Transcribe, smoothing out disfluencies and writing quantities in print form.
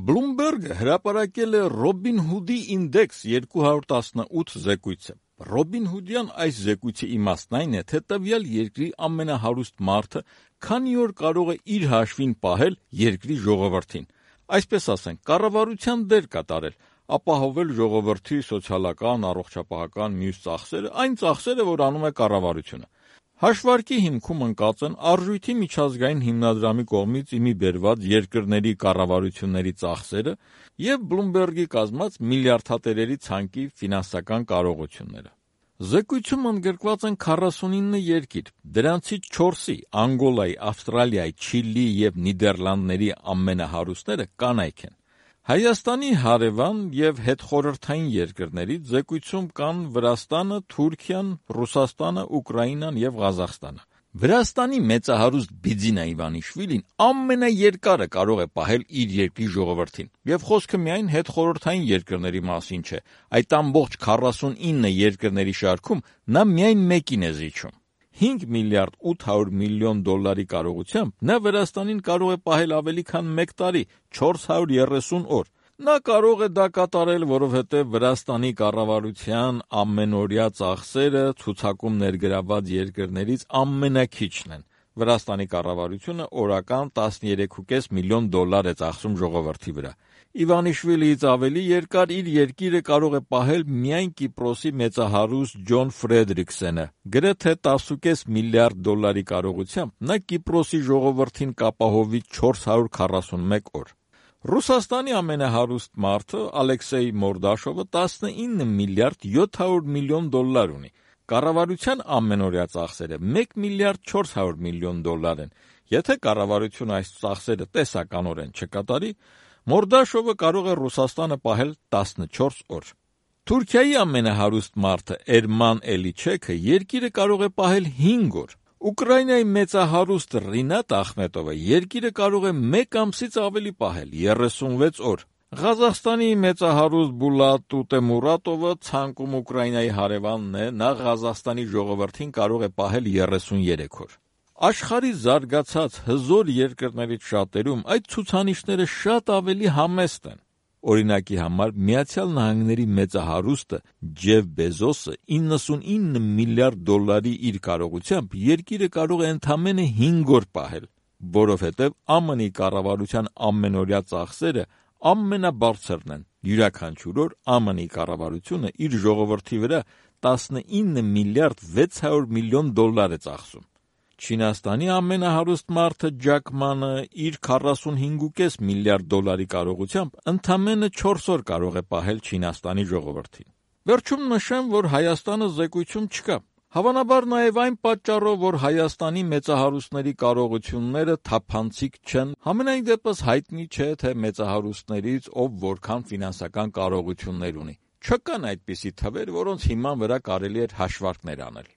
Bloomberg-ը հրապարակել է Robinhood-ի ինդեքս 218 զեկույցը։ Robinhood-յան այս զեկույցի իմաստն այն է, թե տվյալ երկրի ամենահարուստ մարդը քանի օր կարող է իր հաշվին պահել երկրի ժողովրդին, այսպես ասենք, կառավարության դեր կատարել, ապահովել ժողովրդի սոցիալական, առողջապահական մյուս ծախսերը, այն ծախսերը, որ անում է կառավարությունը։ Հաշվարկի հիմքում ընկած են Արժույթի միջազգային հիմնադրամի կողմից իմի բերված երկրների կառավարությունների ծախսերը և Bloomberg-ի կազմած միլիարդատերերի ցանկի ֆինանսական կարողությունները։ Զեկույցում ընդգրկված են 49 երկիր, դրանցից 4-ի՝ Անգոլայի, Ավստրալիայի, Չիլիի և Նիդերլանդների ամենահարուստները կանայք են։ Հայաստանի հարևան և հետխորհրդային երկրներից զեկույցում կան Վրաստանը, Թուրքիան, Ռուսաստանը, Ուկրաինան և Ղազախստանը։ Վրաստանի մեծահարուստ Բիձինա Իվանիշվիլին ամենաերկարը կարող է պահել իր երկրի ժողովրդին, և խոսքը միայն հետխորհրդային երկրների մասին չէ, այդ ամբողջ 49 երկրների շարքում նա միայն մեկին է զիջում։ 5 միլիարդ 800 միլիոն դոլարի կարողությամբ նա Վրաստանին կարող է պահել ավելի քան 1 տարի, 430 օր։ Նա կարող է դա կատարել, որովհետև Վրաստանի կառավարության ամենօրյա ծախսերը ցուցակում ներգրավված երկրներից ամենաքիչն են։ Վրաստանի կառավարությունը օրական 13.5 միլիոն դոլար է ծախսում ժողովրդի վրա։ Իվանիշվիլիից ավելի երկար իր երկիրը կարող է պահել միայն Կիպրոսի մեծահարուստ Ջոն Ֆրեդրիքսենը։ Գրեթե 10.5 միլիարդ դոլարի կարողությամբ նա Կիպրոսի ժողովրդին կապահովի 441 օր։ Ռուսաստանի ամենահարուստ մարդը Ալեքսեյ Մորդաշովը 19 միլիարդ 700 միլիոն դոլար ունի։ Կառավարության ամենօրյա ծախսերը 1 միլիարդ 400 միլիոն դոլար են։ Եթե կառավարությունը այս ծախսերը տեսականորեն չկատարի, Մորդաշովը կարող է Ռուսաստանը պահել 14 օր։ Թուրքիայի ամենահարուստ մարդը Էրման Էլիչեքը երկիրը կարող է պահել 5 օր։ Ուկրաինայի մեծահարուստ Ռինատ Ախմետովը երկիրը կարող է 1 ամսից ավելի պահել 36 օր։ Ղազախստանի մեծահարուստ Բուլատ Ուտեմուրատովը ցանկում Ուկրաինայի հարևանն է, նա Ղազախստանի ժողովրդին կարող է պահել 33 օր։ Աշխարհի զարգացած հզոր երկրներից շատերում այդ ցուցանիշները շատ ավելի համեստ են։ Օրինակի համար Միացյալ Նահանգների մեծահարուստը Ջեֆ Բեզոսը 99 միլիարդ դոլարի իր կարողությամբ երկիրը կարող է ընդամենը 5 օր պահել, որովհետև ԱՄՆ-ի կառավարության ամենօրյա ծախսերը ամենաբարձրն են։ Յուրաքանչյուր օր ԱՄՆ-ի կառավարությունը իր ժողովրդի վրա 19 միլիարդ 600 միլիոն դոլար է ծախսում։ Չինաստանի ամենահարուստ մարդը Ջակ Ման իր 45.5 միլիարդ դոլարի կարողությամբ ընդամենը 4 օր կարող է պահել Չինաստանի ժողովրդին։ Վերջում նշեմ, որ Հայաստանը զեկույցում չկա։ Հավանաբար նաև այն պատճառով, որ Հայաստանի մեծահարուստների կարողությունները թափանցիկ չեն, համենայն դեպս հայտնի չէ, թե մեծահարուստներից ով որքան ֆինանսական կարողություններ ունի։ Չկան այդպիսի թվեր, որոնց հիման վրա կարելի էր հաշվարկներ անել։